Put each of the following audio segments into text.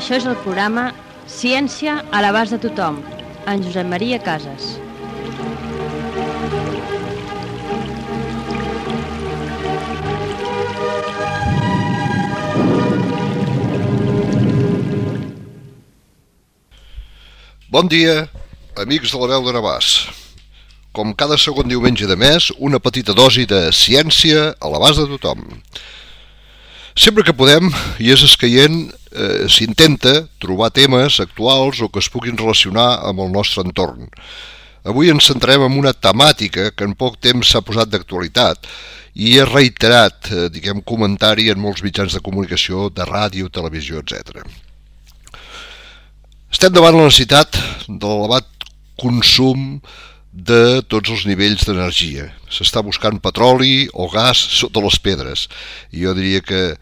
Això és el programa Ciència a l'abast de tothom, en Josep Maria Casas. Bon dia, amics de la veu de Navàs. Com cada segon diumenge de mes, una petita dosi de ciència a l'abast de tothom. Sempre que podem, i és escaient, s'intenta trobar temes actuals o que es puguin relacionar amb el nostre entorn. Avui ens centrem en una temàtica que en poc temps s'ha posat d'actualitat i és reiterat, comentari en molts mitjans de comunicació, de ràdio, televisió, etc. Estem davant la necessitat de l'elevat consum de tots els nivells d'energia. S'està buscant petroli o gas sota les pedres. I jo diria que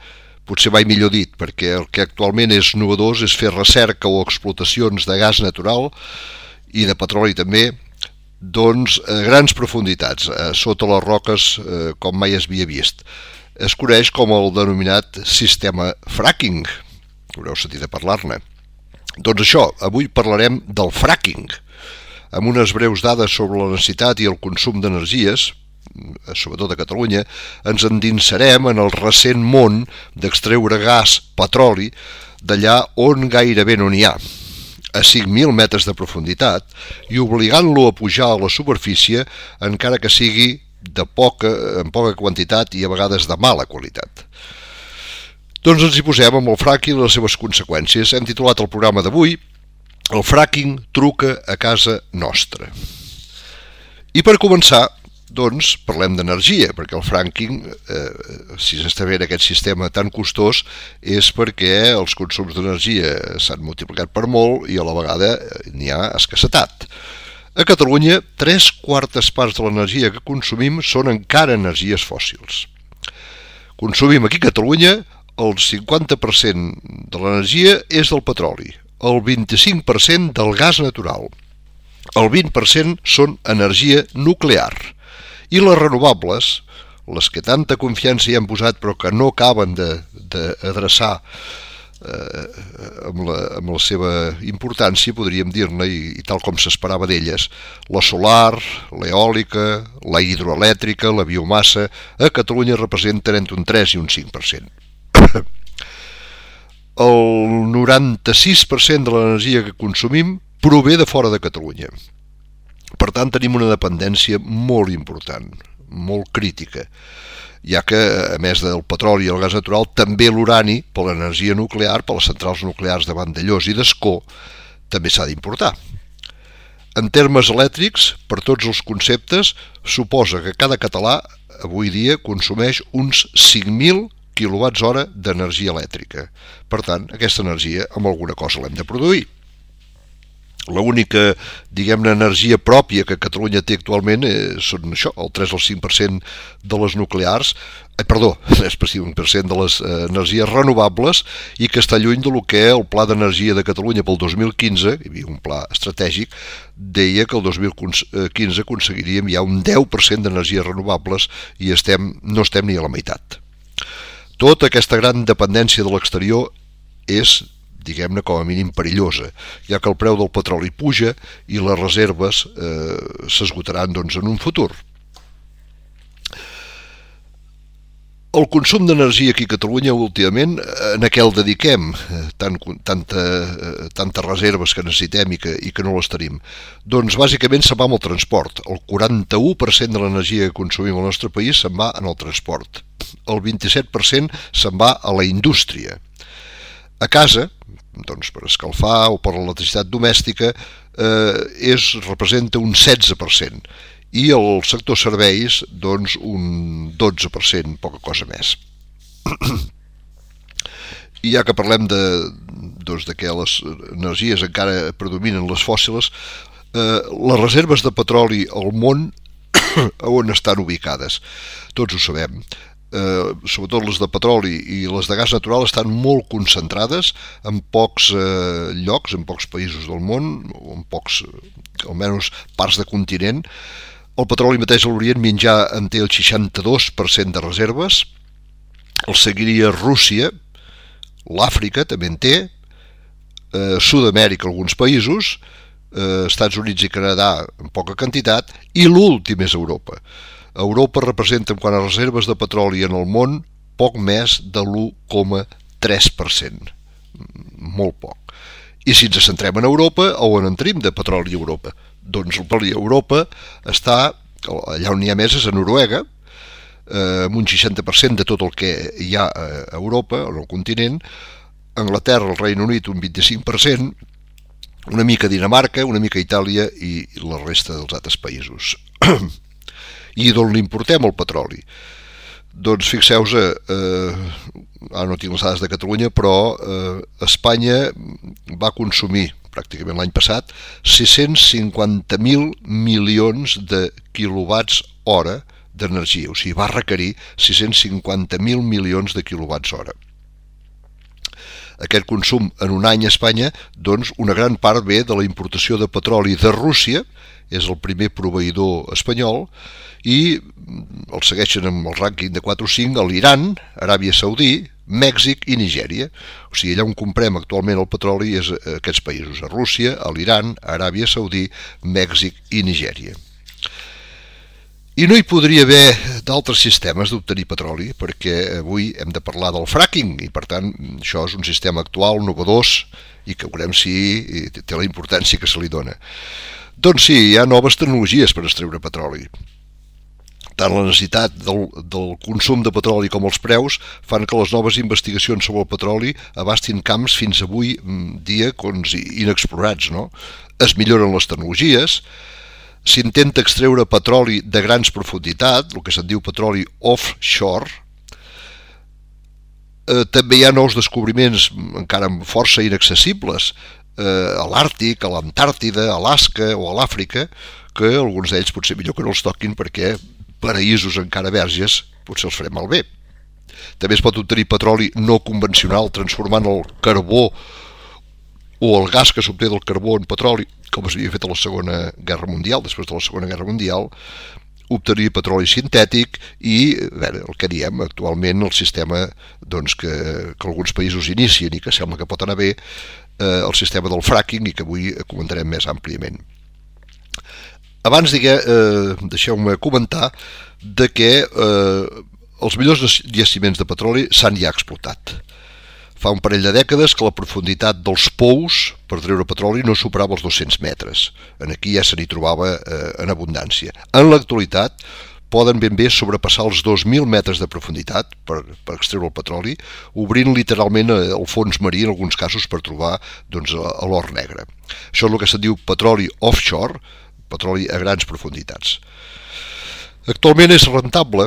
potser mai millor dit, perquè el que actualment és novedós és fer recerca o explotacions de gas natural i de petroli també, doncs a grans profunditats, sota les roques com mai es havia vist. Es coneix com el denominat sistema fracking. Haureu sentit a parlar-ne. Doncs això, avui parlarem del fracking, amb unes breus dades sobre la necessitat i el consum d'energies, sobretot a Catalunya. Ens endinsarem en el recent món d'extreure gas, petroli, d'allà on gairebé no n'hi ha, a 5.000 metres de profunditat, i obligant-lo a pujar a la superfície, encara que sigui en poca quantitat i a vegades de mala qualitat. Doncs ens hi posem amb el fracking i les seves conseqüències. Hem titulat el programa d'avui "El fracking truca a casa nostra". I per començar, doncs, parlem d'energia, perquè el fracking, si s'està fent aquest sistema tan costós, és perquè els consums d'energia s'han multiplicat per molt i a la vegada n'hi ha escassetat. A Catalunya, 3/4 parts de l'energia que consumim són encara energies fòssils. Consumim aquí a Catalunya el 50% de l'energia és del petroli, el 25% del gas natural, el 20% són energia nuclear, i les renovables, les que tanta confiança hi han posat però que no acaben d'adreçar amb la seva importància, podríem dir-ne, i tal com s'esperava d'elles, la solar, l'eòlica, la hidroelèctrica, la biomassa, a Catalunya representen entre un 3 i un 5%. El 96% de l'energia que consumim prové de fora de Catalunya. Per tant, tenim una dependència molt important, molt crítica, ja que, a més del petroli i el gas natural, també l'urani, per l'energia nuclear, per les centrals nuclears de Vandellòs i d'Ascó, també s'ha d'importar. En termes elèctrics, per tots els conceptes, suposa que cada català avui dia consumeix uns 5.000 kWh d'energia elèctrica. Per tant, aquesta energia amb alguna cosa l'hem de produir. L'única, energia pròpia que Catalunya té actualment són això, el 3 o el 5% de les nuclears, és 5% de les energies renovables, i que està lluny del que el Pla d'Energia de Catalunya pel 2015, hi havia un pla estratègic, deia que el 2015 aconseguiríem ja un 10% d'energies renovables i no estem ni a la meitat. Tota aquesta gran dependència de l'exterior és, com a mínim, perillosa, ja que el preu del petroli puja i les reserves s'esgotaran en un futur. El consum d'energia aquí a Catalunya últimament, en què el dediquem, tantes reserves que necessitem i que no les tenim? Doncs bàsicament se'n va amb el transport. El 41% de l'energia que consumim al nostre país se'n va en el transport. El 27% se'n va a la indústria. A casa, per escalfar o per l'electricitat domèstica, representa un 16%, i el sector serveis, un 12%, poca cosa més. I ja que parlem de que les energies encara predominen les fòssils, les reserves de petroli al món on estan ubicades? Tots ho sabem. Sobretot les de petroli i les de gas natural estan molt concentrades en pocs llocs, en pocs països del món, o en pocs, almenys, parts de continent. El petroli mateix a l'Orient Mitjà en té el 62% de reserves, el seguiria Rússia, l'Àfrica també en té, Sud-amèrica alguns països, Estats Units i Canadà en poca quantitat, i l'últim és Europa. Europa representa, en quant a reserves de petroli en el món, poc més de l'1,3%. Molt poc. I si ens centrem en Europa, on en tenim de petroli a Europa? Doncs el petroli a Europa està, allà on hi ha més és a Noruega, amb un 60% de tot el que hi ha a Europa, en el continent, Anglaterra, el Regne Unit, un 25%, una mica Dinamarca, una mica Itàlia i la resta dels altres països. I d'on l'importem el petroli? Doncs fixeu-vos, ara no tinc les dades de Catalunya, però Espanya va consumir pràcticament l'any passat 650.000 milions de quilowatts hora d'energia, o sigui, va requerir 650.000 milions de quilowatts hora. Aquest consum en un any a Espanya, doncs una gran part ve de la importació de petroli de Rússia, és el primer proveïdor espanyol, i el segueixen amb el rànquing de 4 o 5 l'Iran, Aràbia Saudí, Mèxic i Nigèria. O sigui, allà on comprem actualment el petroli és aquests països, a Rússia, a l'Iran, Aràbia Saudí, Mèxic i Nigèria. I no hi podria haver d'altres sistemes d'obtenir petroli, perquè avui hem de parlar del fracking, i per tant això és un sistema actual, novedós, i que veurem si té la importància que se li dona. Doncs sí, hi ha noves tecnologies per extreure petroli. Tant la necessitat del consum de petroli com els preus fan que les noves investigacions sobre el petroli abastin camps fins avui dia inexplorats, no? Es milloren les tecnologies, s'intenta extreure petroli de grans profunditats, el que se'n diu petroli offshore. També hi ha nous descobriments encara força inaccessibles a l'Àrtic, a l'Antàrtida, a Alaska o a l'Àfrica, que alguns d'ells potser millor que no els toquin perquè paraïsos encara verges potser els farem malbé. També es pot obtenir petroli no convencional transformant el carbó o el gas que s'obté del carbó en petroli, com s'havia fet a la Segona Guerra Mundial. Després de la Segona Guerra Mundial, obtenir petroli sintètic i, el que diem actualment, el sistema que alguns països inicien i que sembla que pot anar bé, el sistema del fracking, i que avui comentarem més àmpliament. Abans, deixeu-me comentar de que els millors jaciments de petroli s'han ja explotat. Fa un parell de dècades que la profunditat dels pous per treure petroli no superava els 200 metres. Aquí ja se n'hi trobava en abundància. En l'actualitat poden ben bé sobrepassar els 2.000 metres de profunditat per extreure el petroli, obrint literalment el fons marí en alguns casos per trobar l'or negre. Això és el que se'n diu petroli offshore, petroli a grans profunditats. Actualment és rentable.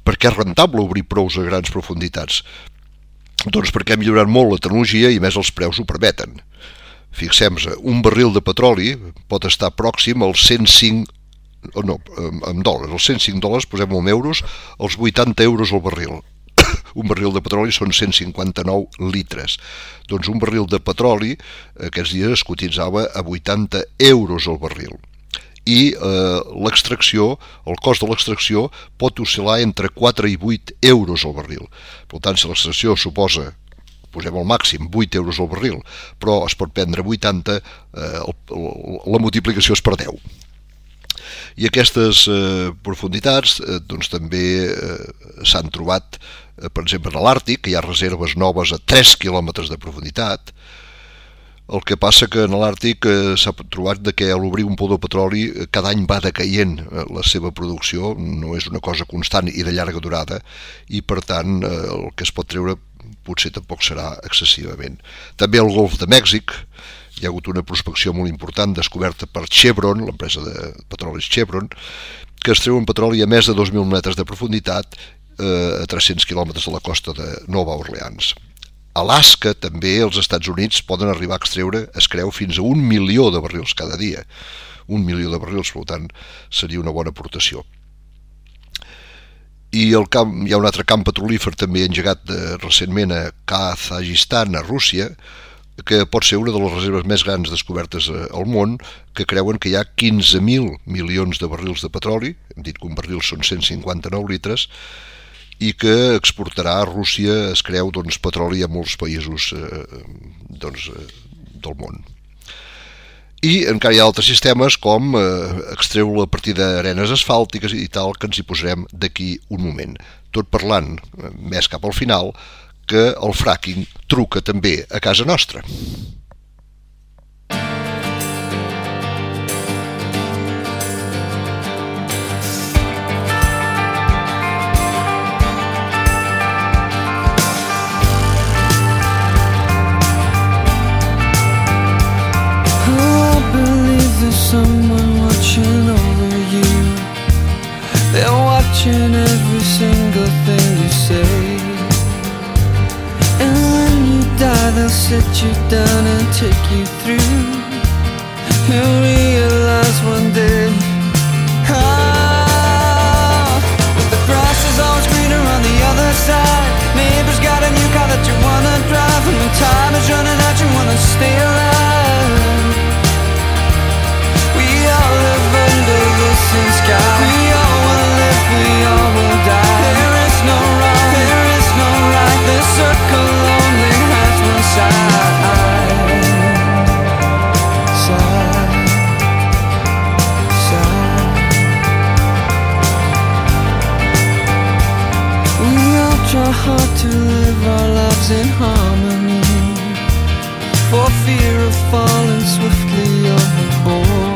Per què és rentable obrir pous a grans profunditats? Doncs perquè ha millorat molt la tecnologia i més els preus ho permeten. Fixem-nos, un barril de petroli pot estar pròxim als 105, en dòlars, els 105 dòlars, posem-ho en euros, als 80 euros al barril. Un barril de petroli són 159 litres. Doncs un barril de petroli aquests dies es cotitzava a 80 euros al barril. I l'extracció, el cost de l'extracció pot oscil·lar entre 4 i 8 euros al barril. Per tant, si l'extracció suposa, posem al màxim, 8 euros al barril, però es pot prendre 80, la multiplicació és per 10. I aquestes profunditats també s'han trobat, per exemple, a l'Àrtic, que hi ha reserves noves a 3 quilòmetres de profunditat. El que passa que en l'Àrtic s'ha trobat que a l'obrir un pou de petroli cada any va decaient la seva producció, no és una cosa constant i de llarga durada, i per tant el que es pot treure potser tampoc serà excessivament. També al Golf de Mèxic hi ha hagut una prospecció molt important descoberta per Chevron, l'empresa de petrolis Chevron, que es treuen petroli a més de 2.000 metres de profunditat a 300 quilòmetres de la costa de Nova Orleans. Alaska, també, els Estats Units poden arribar a extreure, es creu, fins a 1 milió de barrils cada dia. 1 milió de barrils, per tant, seria una bona aportació. I hi ha un altre camp petrolífer també engegat recentment a Kazajistan, a Rússia, que pot ser una de les reserves més grans descobertes al món, que creuen que hi ha 15.000 milions de barrils de petroli, hem dit que un barril són 159 litres, i que exportarà a Rússia, es creu, petroli a molts països del món. I encara hi ha altres sistemes com extreu-lo a partir d'arenes asfàltiques i tal, que ens hi posarem d'aquí un moment. Tot parlant, més cap al final, que el fracking truca també a casa nostra. Someone watching over you. They're watching every single thing you say. And when you die, they'll sit you down and take you through. You'll realize one day, but the grass is always greener on the other side. Neighbor's got a new car that you wanna drive, and when time is running out, you wanna stay alive. We all live under the same sky. We all will live, we all will die. There is no wrong, there is no right. This circle only has one side. Side, side. We all try hard to live our lives in harmony, for fear of falling swiftly overboard.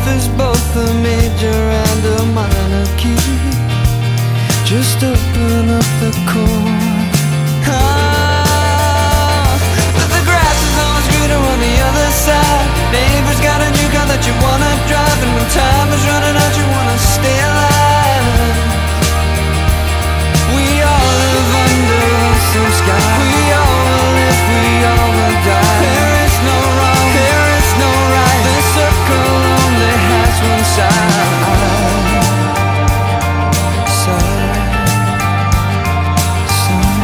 Is both a major and a minor key. Just open up the chord. But the grass is always greener on the other side. Neighbor's got a new car that you wanna drive, and when time is running out, you wanna stay alive. We all live under the same sky. We all will live, we all will die. There is no wrong, there is no right. This circle only has one side. Side, side,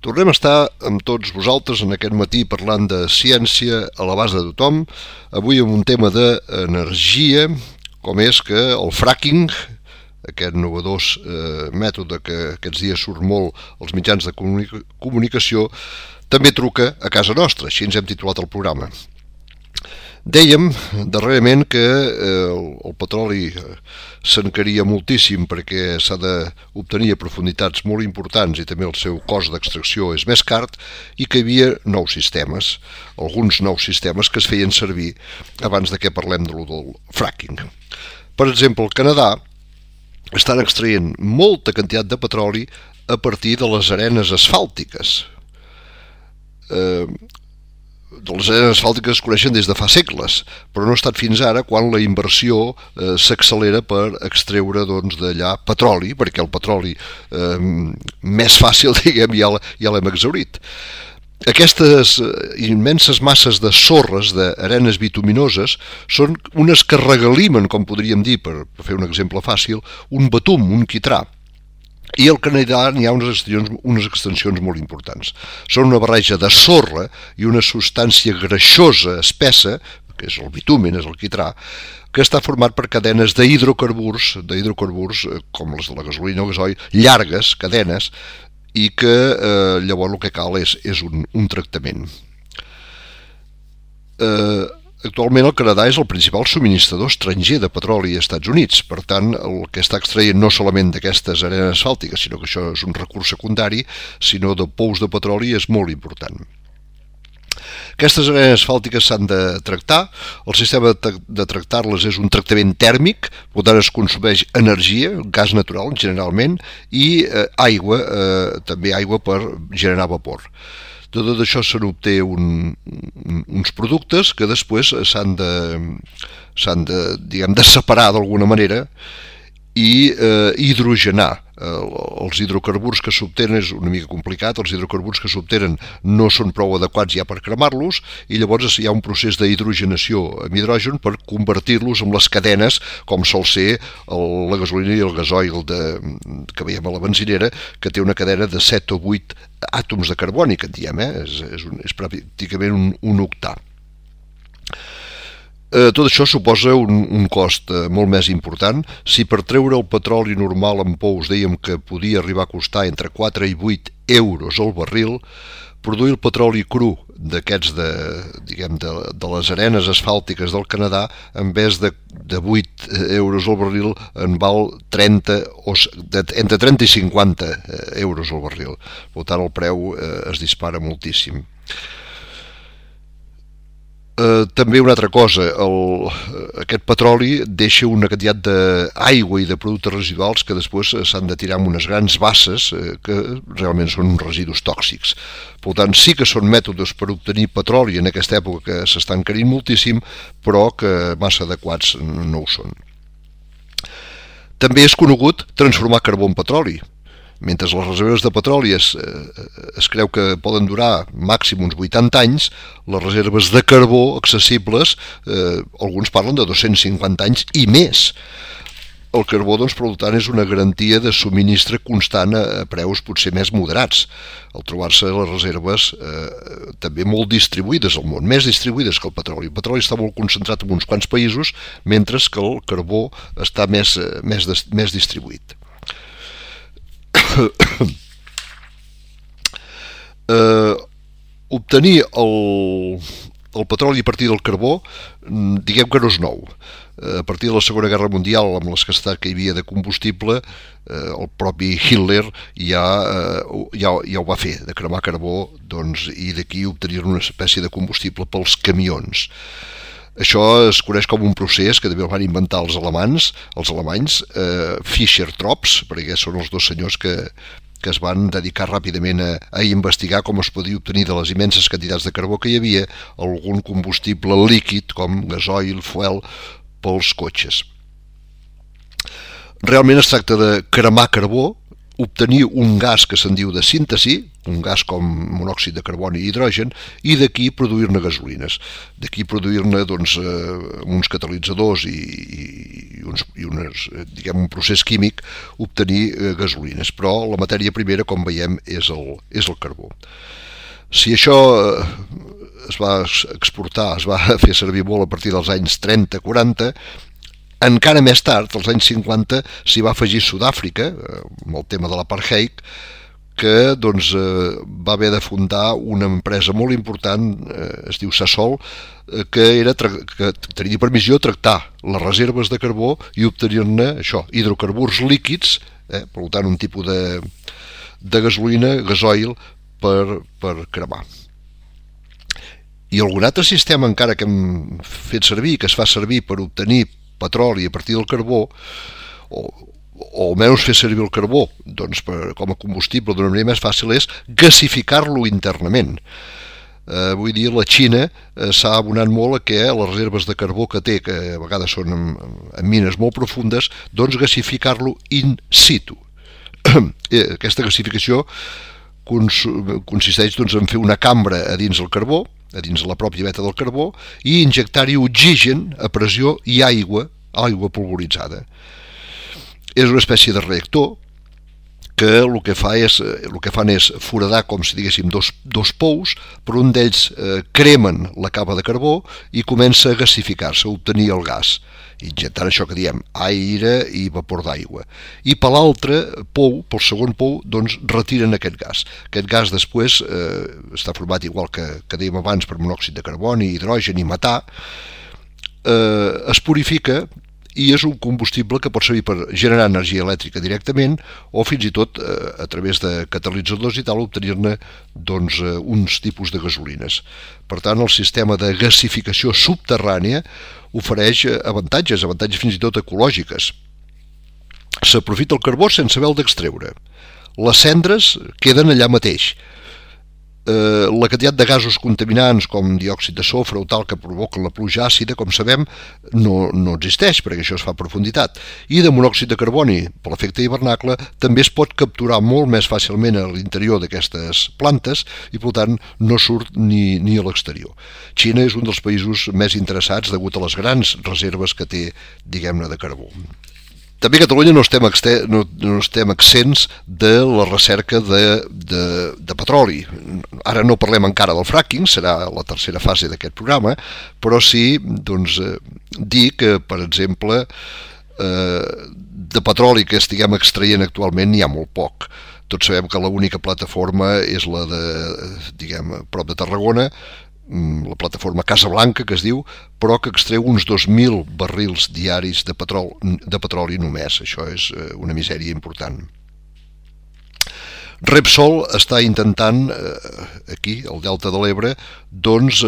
Tornem a estar amb tots vosaltres en aquest matí parlant de ciència a l'abast de tothom, avui amb un tema d'energia, com és que el fracking, aquest innovador mètode que aquests dies surt molt als mitjans de comunicació, també truca a casa nostra, així ens hem titulat el programa. Dèiem darrerament que el petroli s'encaria moltíssim perquè s'ha d'obtenir a profunditats molt importants i també el seu cost d'extracció és més car i que hi havia nous sistemes, alguns nous sistemes que es feien servir abans de que parlem del fracking. Per exemple, al Canadà estan extraient molta quantitat de petroli a partir de les arenes asfàltiques. les arenes asfàltiques es coneixen des de fa segles, però no ha estat fins ara quan la inversió s'accelera per extreure d'allà petroli, perquè el petroli més fàcil, diguem, ja l'hem exhaurit. Aquestes immenses masses de sorres, d'arenes bituminoses, són unes que regalimen, com podríem dir, per fer un exemple fàcil, un betum, un quitrà. I al Canadà n'hi ha unes extensions molt importants. Són una barreja de sorra i una substància greixosa, espessa, que és el bitumen, és el quitrà, que està format per cadenes d'hidrocarburs com les de la gasolina o gasoil, llargues cadenes, i que llavors el que cal és un tractament. Actualment el Canadà és el principal subministrador estranger de petroli als Estats Units, per tant el que està extraient no solament d'aquestes arenes asfàltiques, sinó que això és un recurs secundari, sinó de pous de petroli és molt important. Aquestes arenes asfàltiques s'han de tractar, el sistema de tractar-les és un tractament tèrmic, per tant es consumeix energia, gas natural generalment, i aigua, també aigua per generar vapor. De tot això se n'obté uns productes que després s'han de separar d'alguna manera i hidrogenar. Els hidrocarburs que s'obtenen és una mica complicat, els hidrocarburs que s'obtenen no són prou adequats ja per cremar-los i llavors hi ha un procés d'hidrogenació amb hidrogen per convertir-los en les cadenes com sol ser la gasolina i el gasoil que veiem a la benzinera, que té una cadena de 7 o 8 àtoms de carboni, que en diem, és pràcticament un octà. Tot això suposa un cost molt més important. Si per treure el petroli normal en pous dèiem que podia arribar a costar entre 4 i 8 euros al barril, produir el petroli cru d'aquests de les arenes asfàltiques del Canadà, en vez de 8 euros al barril, en val entre 30 i 50 euros al barril. Per tant, el preu es dispara moltíssim. També una altra cosa, aquest petroli deixa una quantitat d'aigua i de productes residuals que després s'han de tirar en unes grans basses que realment són uns residus tòxics. Per tant, sí que són mètodes per obtenir petroli en aquesta època que s'estan encarint moltíssim, però que massa adequats no ho són. També és conegut transformar carbó en petroli. Mentre les reserves de petroli es creu que poden durar màxim uns 80 anys, les reserves de carbó accessibles, alguns parlen de 250 anys i més. El carbó, doncs, per tant, és una garantia de subministre constant a preus potser més moderats, al trobar-se les reserves també molt distribuïdes al món, més distribuïdes que el petroli. El petroli està molt concentrat en uns quants països, mentre que el carbó està més distribuït. Obtenir el petroli a partir del carbó, diguem que no és nou. A partir de la Segona Guerra Mundial, amb l'escassetat que hi havia de combustible, el propi Hitler ja ho va fer, de cremar carbó, i d'aquí obtenir una espècie de combustible pels camions. Això es coneix com un procés que també el van inventar els alemanys, Fischer-Tropsch, perquè són els dos senyors que es van dedicar ràpidament a investigar com es podia obtenir de les immenses quantitats de carbó que hi havia algun combustible líquid com gasoil, fuel, pels cotxes. Realment es tracta de cremar carbó, obtenir un gas que se'n diu de síntesi, un gas com monòxid de carboni i hidrogen, i d'aquí produir-ne gasolines. D'aquí produir-ne uns catalitzadors i un procés químic, obtenir gasolines. Però la matèria primera, com veiem, és el carbó. Si això es va exportar, es va fer servir molt a partir dels anys 30-40, encara més tard, als anys 50, s'hi va afegir Sud-àfrica, amb el tema de l'apartheid, que va haver de fundar una empresa molt important, es diu Sasol, que tenia per missió tractar les reserves de carbó i obtenir-ne hidrocarburs líquids, per tant un tipus de gasolina, gasoil, per cremar. I algun altre sistema encara que hem fet servir, que es fa servir per obtenir petroli a partir del carbó, o almenys fer servir el carbó com a combustible d'una manera més fàcil, és gasificar-lo internament. Vull dir, la Xina s'ha abonat molt a que les reserves de carbó que té, que a vegades són en mines molt profundes, doncs gasificar-lo in situ. Aquesta gasificació consisteix doncs, en fer una cambra a dins el carbó, a dins la pròpia veta del carbó, i injectar-hi oxigen a pressió i aigua polvoritzada. És una espècie de reactor que el que fan és foradar, com si diguéssim, dos pous, per un d'ells cremen la capa de carbó i comença a gasificar-se, a obtenir el gas, injectant això que diem aire i vapor d'aigua. I per l'altre pou, pel segon pou, doncs retiren aquest gas. Aquest gas després està format igual que dèiem abans per monòxid de carboni, hidrogen i metà, es purifica i és un combustible que pot servir per generar energia elèctrica directament o fins i tot a través de catalitzadors i tal obtenir-ne doncs, uns tipus de gasolines. Per tant, el sistema de gasificació subterrània ofereix avantatges fins i tot ecològiques. S'aprofita el carbó sense haver-lo d'extreure. Les cendres queden allà mateix. La quantitat de gasos contaminants com diòxid de sofre o tal que provoquen la pluja àcida, com sabem, no existeix perquè això es fa a profunditat. I de monòxid de carboni, per l'efecte hivernacle, també es pot capturar molt més fàcilment a l'interior d'aquestes plantes i, per tant, no surt ni a l'exterior. Xina és un dels països més interessats degut a les grans reserves que té, diguem-ne, de carbó. També a Catalunya no estem exents de la recerca de petroli. Ara no parlem encara del fracking, serà la tercera fase d'aquest programa, però sí doncs, dir que, per exemple, de petroli que estiguem extraient actualment n'hi ha molt poc. Tots sabem que l'única plataforma és la de, diguem, prop de Tarragona, la plataforma Casablanca, que es diu, però que extreu uns 2.000 barrils diaris de petroli només. Això és una misèria important. Repsol està intentant, aquí, al Delta de l'Ebre, doncs,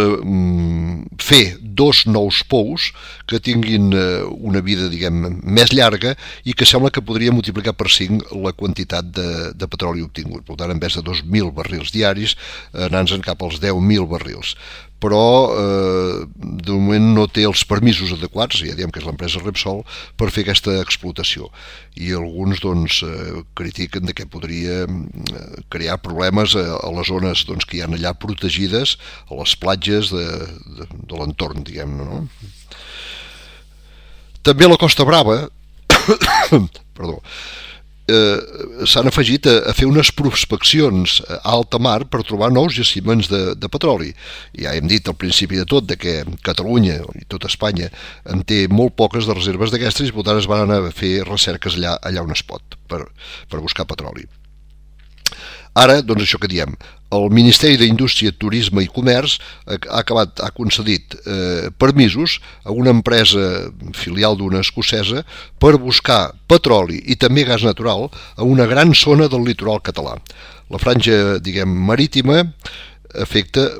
fer 2 nous pous que tinguin una vida, diguem, més llarga i que sembla que podria multiplicar per 5 la quantitat de petroli obtingut. Per tant, en vez de 2.000 barrils diaris, anant-se'n cap als 10.000 barrils. Però de moment no té els permisos adequats, ja diem que és l'empresa Repsol, per fer aquesta explotació. I alguns doncs, critiquen que podria crear problemes a les zones doncs, que hi ha allà protegides, a les platges de l'entorn, diguem-ne. No? També a la Costa Brava perdó, s'han afegit a fer unes prospeccions a alta mar per trobar nous jaciments de petroli. Ja hem dit al principi de tot que Catalunya i tot Espanya en té molt poques de reserves d'aquestes i per tant es van anar a fer recerques allà on es pot per buscar petroli. Ara, doncs això que diem, el Ministeri d'Indústria, Turisme i Comerç ha concedit permisos a una empresa filial d'una escocesa per buscar petroli i també gas natural a una gran zona del litoral català. La franja, diguem, marítima afecta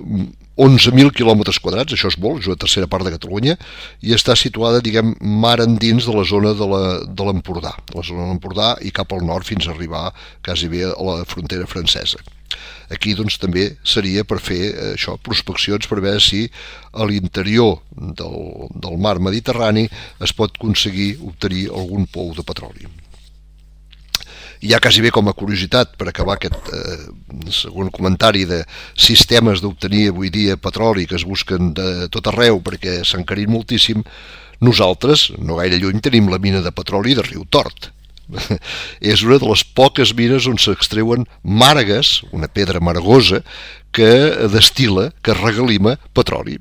11.000 quilòmetres quadrats, això és molt, és una tercera part de Catalunya, i està situada, diguem, mar endins de la zona de l'Empordà, la zona de l'Empordà i cap al nord fins a arribar quasi bé a la frontera francesa. Aquí doncs també seria per fer això, prospeccions per veure si a l'interior del mar Mediterrani es pot aconseguir obtenir algun pou de petroli. I ja quasi bé com a curiositat, per acabar aquest segon comentari de sistemes d'obtenir avui dia petroli que es busquen de tot arreu perquè s'han encarit moltíssim, nosaltres, no gaire lluny, tenim la mina de petroli de Riu Tort. És una de les poques mines on s'extreuen màrgues, una pedra margosa, que destil·la, que regalima petroli.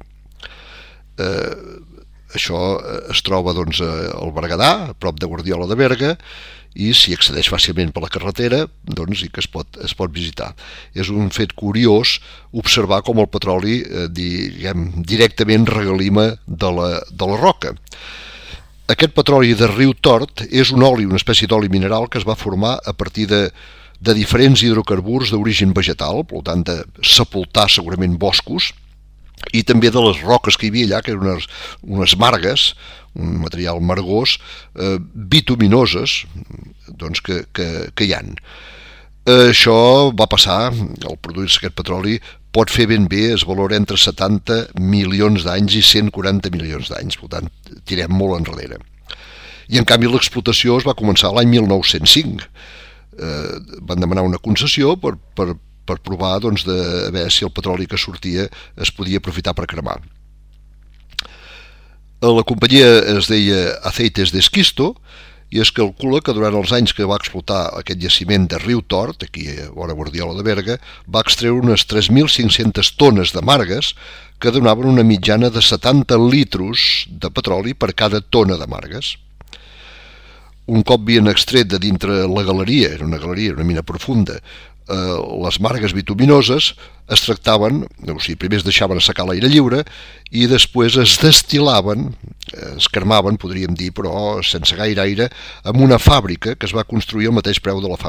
Això es troba doncs, al Berguedà, a prop de Guardiola de Berga, i s'hi accedeix fàcilment per la carretera doncs, i que es pot visitar. És un fet curiós observar com el petroli directament regalima de la roca. Aquest petroli de Riu Tort és un oli, una espècie d'oli mineral que es va formar a partir de diferents hidrocarburs d'origen vegetal, per tant de sepultar segurament boscos, i també de les roques que hi havia allà, que eren unes margues, un material margós, bituminoses, doncs que hi ha. Això va passar, al produir-se aquest petroli, pot fer ben bé, es valora entre 70 milions d'anys i 140 milions d'anys, per tant, tirem molt enrere. I en canvi l'explotació es va començar l'any 1905. Van demanar una concessió per provar de veure si el petroli que sortia es podia aprofitar per cremar. La companyia es deia Aceites de Esquisto i es calcula que durant els anys que va explotar aquest jaciment de Riu Tort, aquí a vora Guardiola de Berga, va extreure unes 3.500 tones de margues que donaven una mitjana de 70 litros de petroli per cada tona de margues. Un cop havien extret de dintre la galeria, era una galeria, una mina profunda, les margues bituminoses es tractaven, o sigui, primer es deixaven assecar a l'aire lliure i després es destil·laven, es cremaven, podríem dir, però sense gaire aire, en una fàbrica que es va construir al mateix peu de la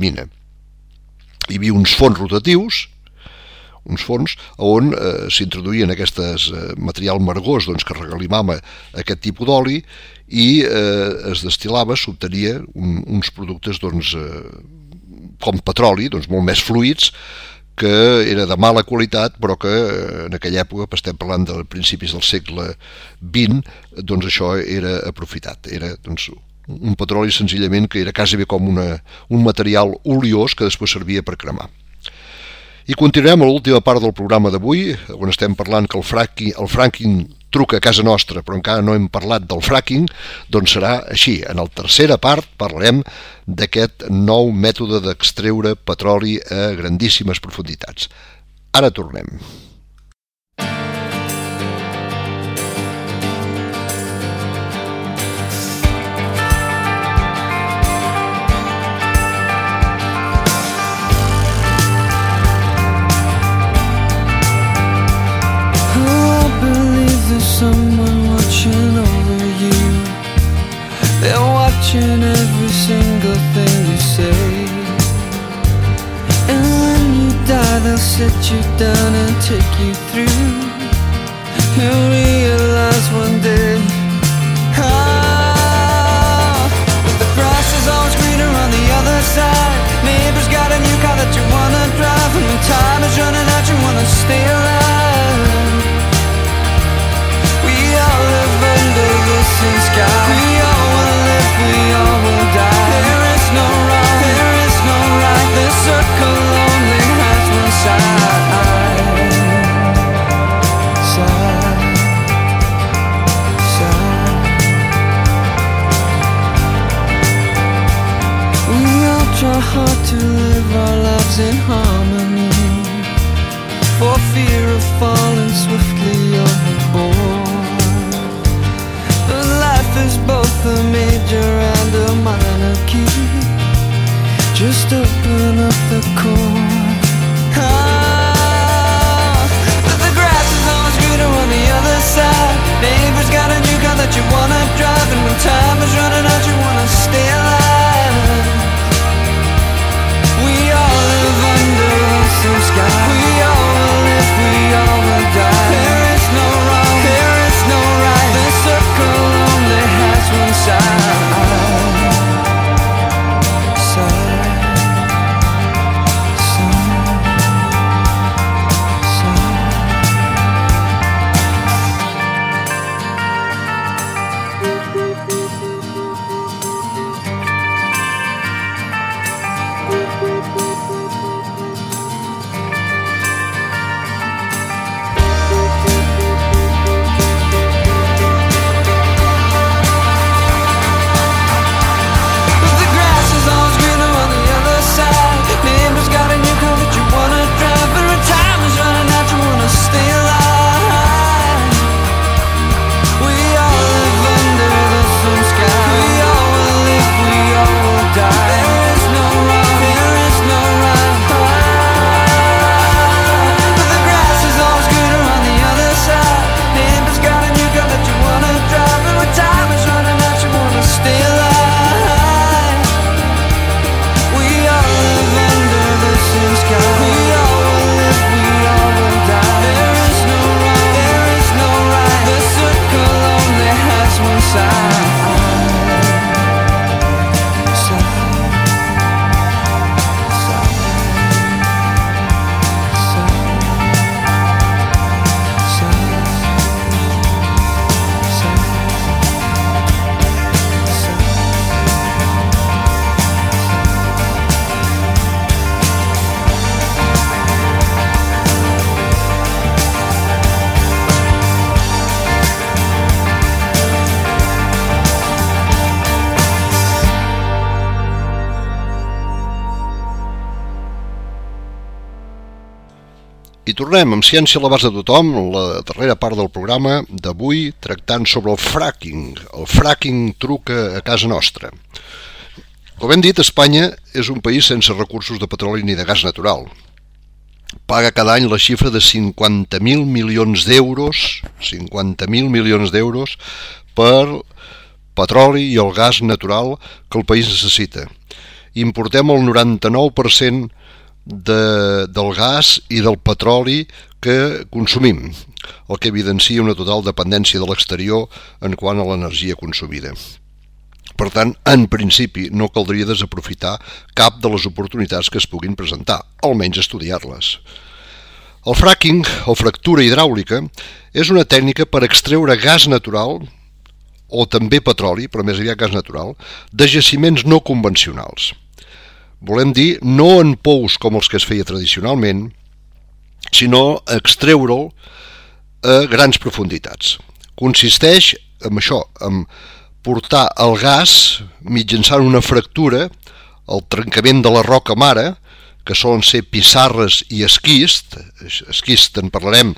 mina. Hi havia uns forns rotatius, uns forns on s'introduïen aquestes material margós que regalimava aquest tipus d'oli i es destil·lava, s'obtenia uns productes com petroli, molt més fluids, que era de mala qualitat, però que en aquella època, estem parlant de principis del segle XX, això era aprofitat. Era un petroli senzillament que era quasi bé com un material oliós que després servia per cremar. I continuem a l'última part del programa d'avui, on estem parlant que el fracking truca a casa nostra, però encara no hem parlat del fracking, doncs serà així. En la tercera part parlarem d'aquest nou mètode d'extreure petroli a grandíssimes profunditats. Ara tornem. Someone watching over you. They're watching every single thing you say. And when you die, they'll sit you down and take you through. You'll realize one day, that the grass is always greener on the other side. Neighbor's got a new car that you wanna drive, and when time is running out, you wanna stay alive. We all live under the same sky. We all will live, we all will die. There is no wrong, there is no right. The circle only has one side. We all try hard to live our lives in harmony, for fear of falling swiftly overboard. Is both a major and a minor key. Just open up the chord. But the grass is always greener on the other side. Neighbor's got a new car that you wanna drive, and when time is running out, you wanna stay alive. We all live under the same sky. We all will live, we all will die. There is no wrong, there is no right. The circle only has one side. tornem amb Ciència a l'abast de tothom, la darrera part del programa d'avui tractant sobre el fracking. El fracking truca a casa nostra. Com hem dit, Espanya és un país sense recursos de petroli ni de gas natural. Paga cada any la xifra de 50.000 milions d'euros, 50.000 milions d'euros per petroli i el gas natural que el país necessita. Importem el 99% del gas i del petroli que consumim, el que evidencia una total dependència de l'exterior en quant a l'energia consumida. Per tant, en principi, no caldria desaprofitar cap de les oportunitats que es puguin presentar, almenys estudiar-les. El fracking, o fractura hidràulica, és una tècnica per extreure gas natural, o també petroli, però més aviat gas natural, de jaciments no convencionals. Volem dir, no en pous com els que es feia tradicionalment, sinó extreure'l a grans profunditats. Consisteix en això, en portar el gas mitjançant una fractura, el trencament de la roca mare, que solen ser pissarres i esquist en parlarem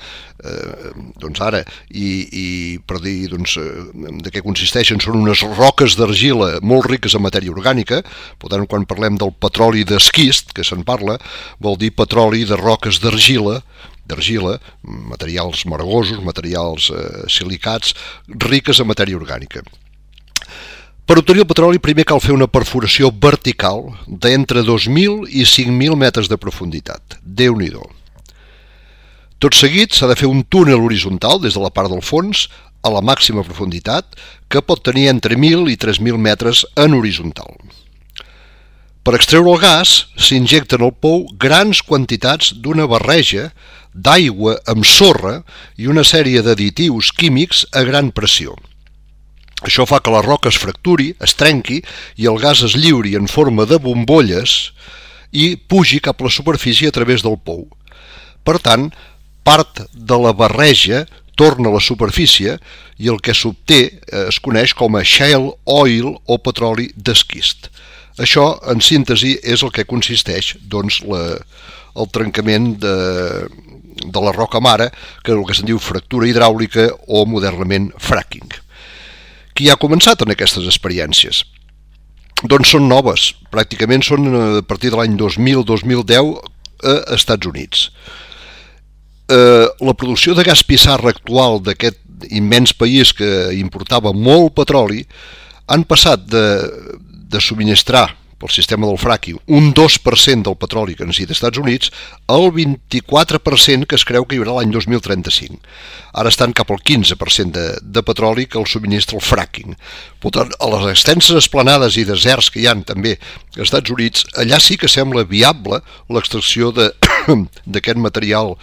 ara, i per dir de què consisteixen, són unes roques d'argila molt riques en matèria orgànica. Per tant, quan parlem del petroli d'esquist, que se'n parla, vol dir petroli de roques d'argila, materials margosos, materials silicats, riques en matèria orgànica. Per obtenir el petroli primer cal fer una perforació vertical d'entre 2.000 i 5.000 metres de profunditat. Déu-n'hi-do. Tot seguit s'ha de fer un túnel horitzontal des de la part del fons a la màxima profunditat, que pot tenir entre 1.000 i 3.000 metres en horitzontal. Per extreure el gas s'injecta en el pou grans quantitats d'una barreja d'aigua amb sorra i una sèrie d'additius químics a gran pressió. Això fa que la roca es fracturi, es trenqui i el gas es lliuri en forma de bombolles i pugi cap a la superfície a través del pou. Per tant, part de la barreja torna a la superfície i el que s'obté es coneix com a shale oil o petroli d'esquist. Això, en síntesi, és el que consisteix el trencament de la roca mare, que és el que se'n diu fractura hidràulica o modernament fracking. Qui ha començat en aquestes experiències? Doncs són noves, pràcticament són a partir de l'any 2000-2010 a Estats Units. La producció de gas pissarra actual d'aquest immens país que importava molt petroli han passat de subministrar pel sistema del fracking un 2% del petroli que necessita als Estats Units al 24% que es creu que hi haurà l'any 2035. Ara estan cap al 15% de petroli que el subministra el fracking. Per tant, a les extenses esplanades i deserts que hi ha també als Estats Units, allà sí que sembla viable l'extracció d'aquest material,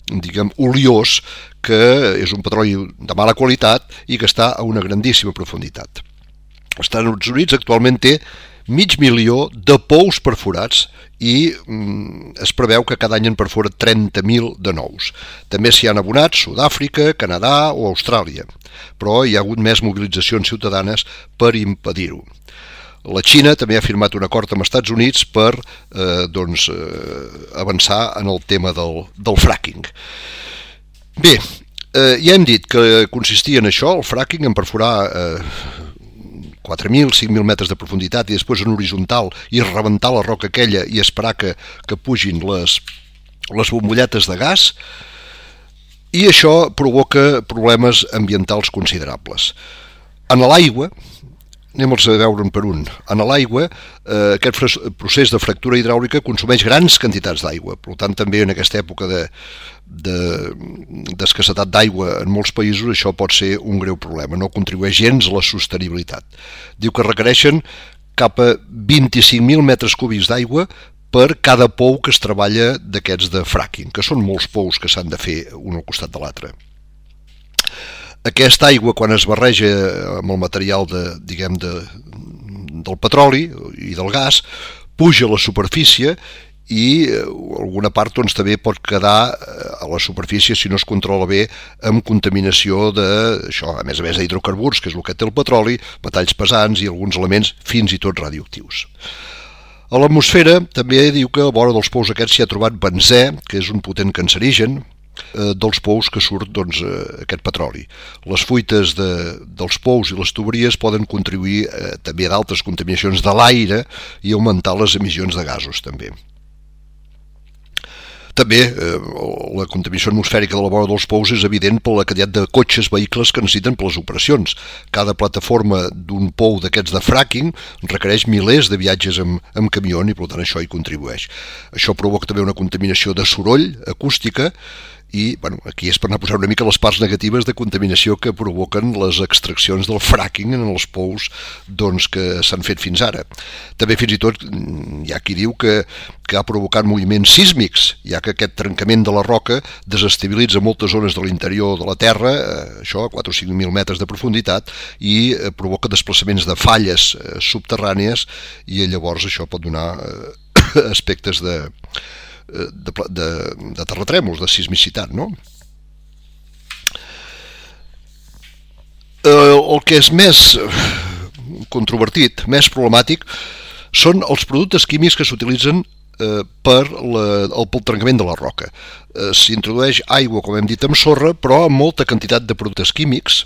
diguem, oliós, que és un petroli de mala qualitat i que està a una grandíssima profunditat. Els Estats Units actualment té 500.000 de pous perforats i es preveu que cada any en perfora 30.000 de nous. També s'hi han abonat Sud-àfrica, Canadà o Austràlia, però hi ha hagut més mobilitzacions ciutadanes per impedir-ho. La Xina també ha firmat un acord amb els Estats Units per avançar en el tema del fracking. Bé, ja hem dit que consistia en això, el fracking, en perforar 4.000, 5.000 metres de profunditat i després en horitzontal i rebentar la roca aquella i esperar que pugin les bombolletes de gas, i això provoca problemes ambientals considerables. En l'aigua, anem-los a veure un per un, en l'aigua aquest procés de fractura hidràulica consumeix grans quantitats d'aigua, per tant també en aquesta època d'escassetat d'aigua en molts països això pot ser un greu problema, no contribueix gens a la sostenibilitat. Diu que requereixen cap a 25.000 metres cúbics d'aigua per cada pou que es treballa d'aquests de fracking, que són molts pous que s'han de fer un al costat de l'altre. Aquesta aigua, quan es barreja amb el material del petroli i del gas, puja a la superfície i alguna part també pot quedar a la superfície, si no es controla bé, amb contaminació d'això, a més d'hidrocarburs, que és el que té el petroli, metalls pesants i alguns elements fins i tot radioactius. A l'atmosfera també diu que a vora dels pous aquests s'hi ha trobat benzè, que és un potent cancerigen, dels pous que surt aquest petroli. Les fuites dels pous i les tuberies poden contribuir també a d'altres contaminacions de l'aire i augmentar les emissions de gasos també. També la contaminació atmosfèrica de la vora dels pous és evident per la quantitat de cotxes, vehicles que necessiten per les operacions. Cada plataforma d'un pou d'aquests de fracking requereix milers de viatges amb camió i per tant això hi contribueix. Això provoca també una contaminació de soroll, acústica, i aquí és per anar posant una mica les parts negatives de contaminació que provoquen les extraccions del fracking en els pous que s'han fet fins ara. També fins i tot hi ha qui diu que ha provocat moviments sísmics, ja que aquest trencament de la roca desestabilitza moltes zones de l'interior de la Terra, això a 4 o 5.000 metres de profunditat, i provoca desplaçaments de falles subterrànies, i llavors això pot donar aspectes de terratrèmols, de sismicitat, no? El que és més controvertit, més problemàtic, són els productes químics que s'utilitzen pel trencament de la roca. S'introdueix aigua, com hem dit, amb sorra, però amb molta quantitat de productes químics,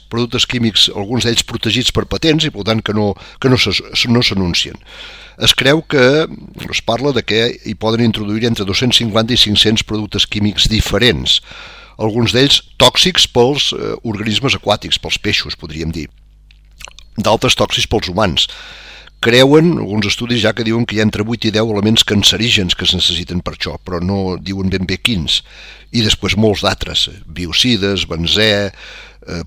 alguns d'ells protegits per patents i per tant que no s'anuncien. Es creu que es parla de que hi poden introduir entre 250 i 500 productes químics diferents, alguns d'ells tòxics pels organismes aquàtics, pels peixos, podríem dir, d'altres tòxics pels humans. Creuen, alguns estudis ja que diuen que hi ha entre 8 i 10 elements cancerígens que es necessiten per això, però no diuen ben bé quins. I després molts d'altres, biocides, benzè,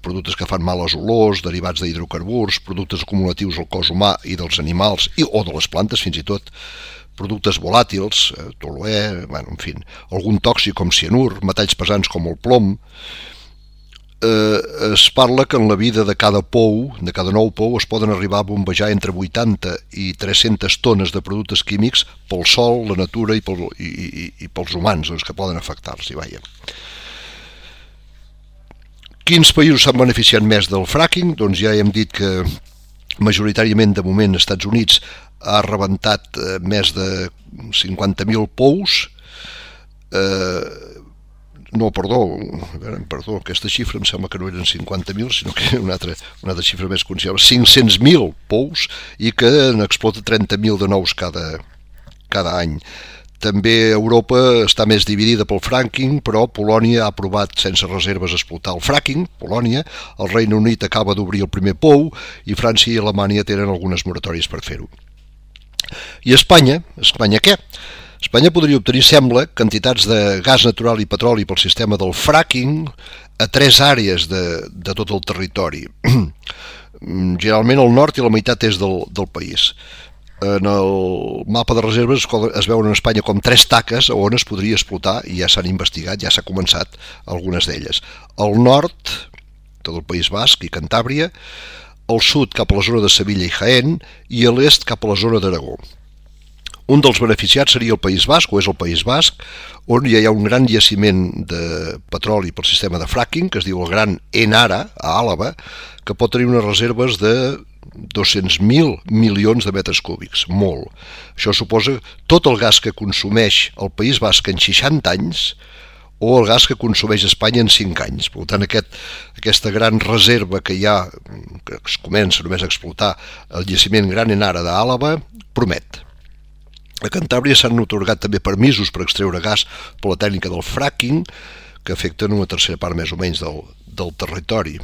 productes que fan males olors, derivats d'hidrocarburs, productes acumulatius al cos humà i dels animals, o de les plantes fins i tot, productes volàtils, toluè, en fi, algun tòxic com cianur, metalls pesants com el plom. Es parla que en la vida de cada nou pou, es poden arribar a bombejar entre 80 i 300 tones de productes químics pel sol, la natura i pels humans, que poden afectar-los. Quins països s'han beneficiat més del fracking? Doncs ja hem dit que majoritàriament de moment als Estats Units ha rebentat més de 50.000 pous. Perdó, aquesta xifra em sembla que no eren 50.000, sinó que era una altra xifra més considerable, 500.000 pous, i que n'explota 30.000 de nous cada any. També Europa està més dividida pel fracking, però Polònia ha aprovat sense reserves explotar el fracking, el Regne Unit acaba d'obrir el primer pou, i França i Alemanya tenen algunes moratòries per fer-ho. I Espanya què? Espanya podria obtenir, sembla, quantitats de gas natural i petroli pel sistema del fracking a 3 àrees de tot el territori. Generalment el nord i la meitat és del país. En el mapa de reserves es veuen en Espanya com 3 taques on es podria explotar, i ja s'han investigat, ja s'ha començat algunes d'elles. Al nord, tot el País Basc i Cantàbria, al sud cap a la zona de Sevilla i Jaén, i a l'est cap a la zona d'Aragó. Un dels beneficiats seria el País Basc, o és el País Basc, on ja hi ha un gran jaciment de petroli pel sistema de fracking, que es diu el Gran Enara, a Àlaba, que pot tenir unes reserves de 200.000 milions de metres cúbics, molt. Això suposa tot el gas que consumeix el País Basc en 60 anys o el gas que consumeix Espanya en 5 anys. Per tant, aquesta gran reserva que hi ha, que es comença només a explotar el jaciment Gran Enara d'Àlaba, promet. A Cantàbria s'han atorgat també permisos per extreure gas per la tècnica del fracking, que afecten una tercera part més o menys del territori.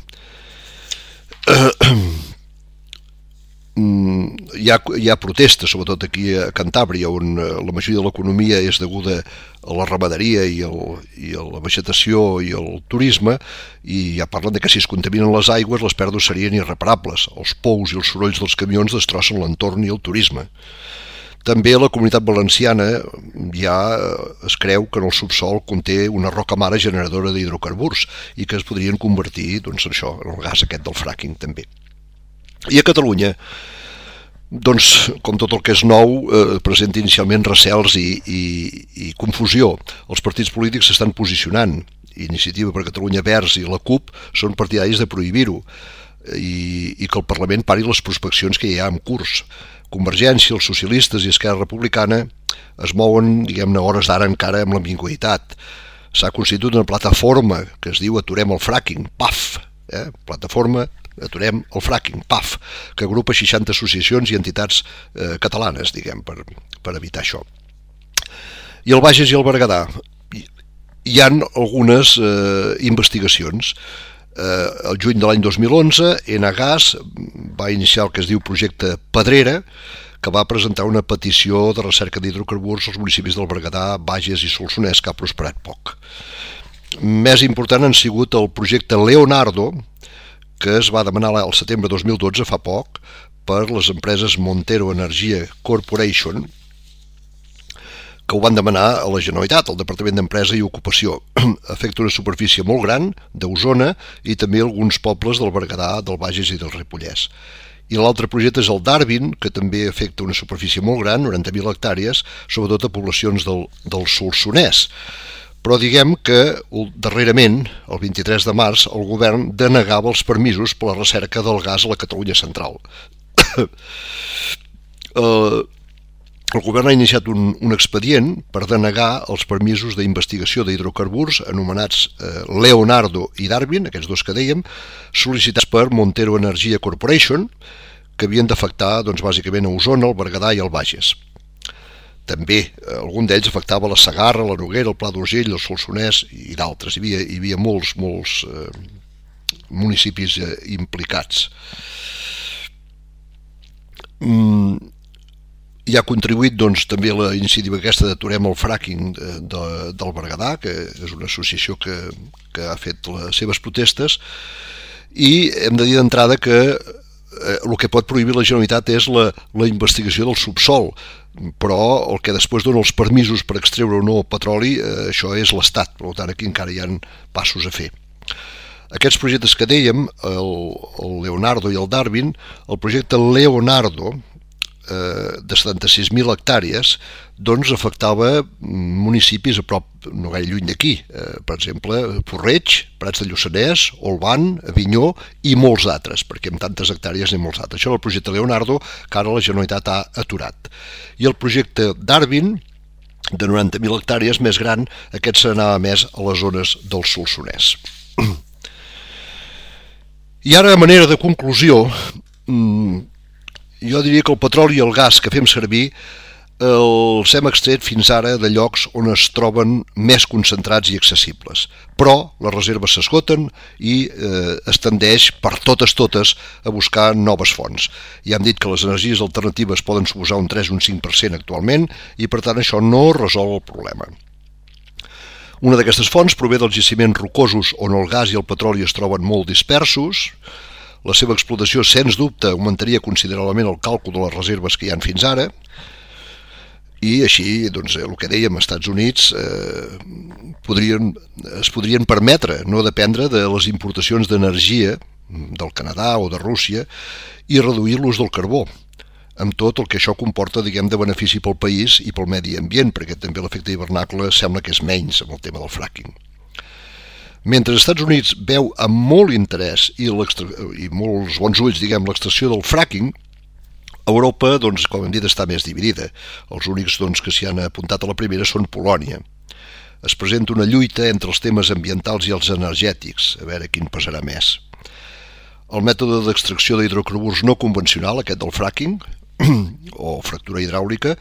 Hi ha protestes, sobretot aquí a Cantàbria, on la majoria de l'economia és deguda a la ramaderia i a la vegetació i al turisme, i ja parlen de que si es contaminen les aigües les pèrdues serien irreparables. Els pous i els sorolls dels camions destrossen l'entorn i el turisme. També la Comunitat Valenciana ja es creu que en el subsol conté una roca mare generadora d'hidrocarburs i que es podrien convertir en el gas aquest del fracking també. I a Catalunya, com tot el que és nou, presenta inicialment recels i confusió. Els partits polítics s'estan posicionant. Iniciativa per Catalunya Verds i la CUP són partidaris de prohibir-ho i que el Parlament pari les prospeccions que hi ha en curs. Convergència, els socialistes i Esquerra Republicana es mouen, diguem-ne, hores d'ara encara amb l'ambigüitat. S'ha constituït una plataforma que es diu Aturem el fracking, PAF, plataforma Aturem el fracking, PAF, que agrupa 60 associacions i entitats catalanes, diguem, per evitar això. I el Bages i el Berguedà, hi ha algunes investigacions. El juny de l'any 2011, Enagas va iniciar el que es diu projecte Pedrera, que va presentar una petició de recerca d'hidrocarburs als municipis del Berguedà, Bages i Solsonès, que ha prosperat poc. Més important han sigut el projecte Leonardo, que es va demanar al setembre de 2012, fa poc, per les empreses Montero Energia Corporation, que ho van demanar a la Generalitat, al Departament d'Empresa i Ocupació. Afecta una superfície molt gran d'Osona i també alguns pobles del Berguedà, del Bages i del Ripollès. I l'altre projecte és el Darwin, que també afecta una superfície molt gran, 90.000 hectàrees, sobretot a poblacions del Solsonès. Però diguem que darrerament, el 23 de març, el govern denegava els permisos per la recerca del gas a la Catalunya central. El govern ha iniciat un expedient per denegar els permisos d'investigació d'hidrocarburs anomenats Leonardo i Darwin, aquests dos que dèiem, sol·licitats per Montero Energia Corporation, que havien d'afectar bàsicament a Osona, el Berguedà i el Bages. També algun d'ells afectava la Segarra, la Noguera, el Pla d'Urgell, el Solsonès i d'altres. Hi havia molts municipis implicats. Hi ha contribuït també la iniciativa aquesta d'Aturem el fracking del Berguedà, que és una associació que ha fet les seves protestes, i hem de dir d'entrada que el que pot prohibir la Generalitat és la investigació del subsol, però el que després dona els permisos per extreure o no petroli, això és l'Estat, per tant aquí encara hi ha passos a fer. Aquests projectes que dèiem, el Leonardo i el Darwin, el projecte Leonardo, de 76.000 hectàrees, afectava municipis a prop, no gaire lluny d'aquí, per exemple, Porreig, Prats de Lluçanès, Olvan, Avinyó i molts d'altres, perquè amb tantes hectàrees n'hi ha molts d'altres. Això és el projecte Leonardo, que ara la Generalitat ha aturat. I el projecte Darwin, de 90.000 hectàrees, més gran, aquest s'anava més a les zones del Solsonès. I ara, a manera de conclusió, jo diria que el petroli i el gas que fem servir els hem extret fins ara de llocs on es troben més concentrats i accessibles. Però les reserves s'esgoten i es tendeix per totes a buscar noves fonts. Ja hem dit que les energies alternatives poden suposar un 3 o un 5% actualment i per tant això no resol el problema. Una d'aquestes fonts prové dels jaciments rocosos on el gas i el petroli es troben molt dispersos. La seva explotació, sens dubte, augmentaria considerablement el càlcul de les reserves que hi han fins ara i així, el que dèiem, als Estats Units es podrien permetre no dependre de les importacions d'energia del Canadà o de Rússia i reduir l'ús del carbó, amb tot el que això comporta, diguem, de benefici pel país i pel medi ambient, perquè també l'efecte hivernacle sembla que és menys amb el tema del fracking. Mentre els Estats Units veu amb molt interès i molts bons ulls, diguem, l'extracció del fracking, Europa, com hem dit, està més dividida. Els únics que s'hi han apuntat a la primera són Polònia. Es presenta una lluita entre els temes ambientals i els energètics, a veure quin pesarà més. El mètode d'extracció d'hidrocarburs no convencional, aquest del fracking, o fractura hidràulica,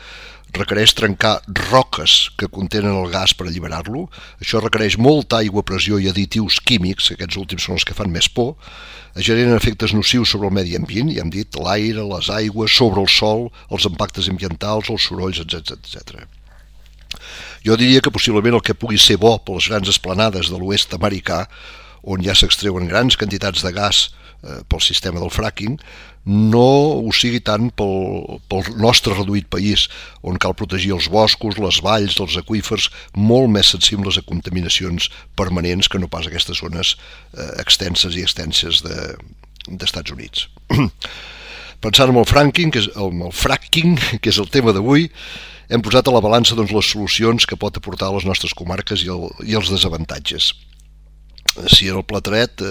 requereix trencar roques que contenen el gas per alliberar-lo. Això requereix molta aigua, pressió i additius químics, aquests últims són els que fan més por, generen efectes nocius sobre el medi ambient, ja hem dit, l'aire, les aigües, sobre el sòl, els impactes ambientals, els sorolls, etc. Jo diria que possiblement el que pugui ser bo per les grans esplanades de l'oest americà, on ja s'extreuen grans quantitats de gas pel sistema del fracking, no ho sigui tant pel nostre reduït país, on cal protegir els boscos, les valls, els aqüífers, molt més sensibles a contaminacions permanents que no pas aquestes zones extenses i extenses d'Estats Units. Pensant en el fracking, que és el tema d'avui, hem posat a la balança les solucions que pot aportar a les nostres comarques i els desavantatges. si era el Plateret,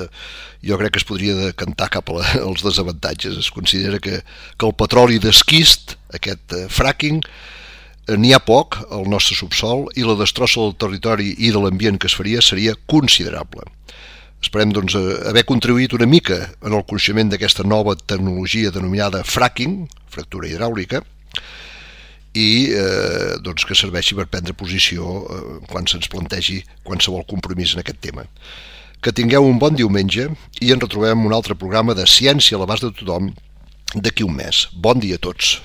jo crec que es podria decantar cap als desavantatges. Es considera que el petroli d'esquist, aquest fracking, n'hi ha poc al nostre subsol i la destrossa del territori i de l'ambient que es faria seria considerable. Esperem doncs haver contribuït una mica en el coneixement d'aquesta nova tecnologia denominada fracking, fractura hidràulica, i doncs que serveixi per prendre posició quan se'ns plantegi qualsevol compromís en aquest tema. Que tingueu un bon diumenge i ens retrobem en un altre programa de Ciència a l'abast de tothom d'aquí un mes. Bon dia a tots.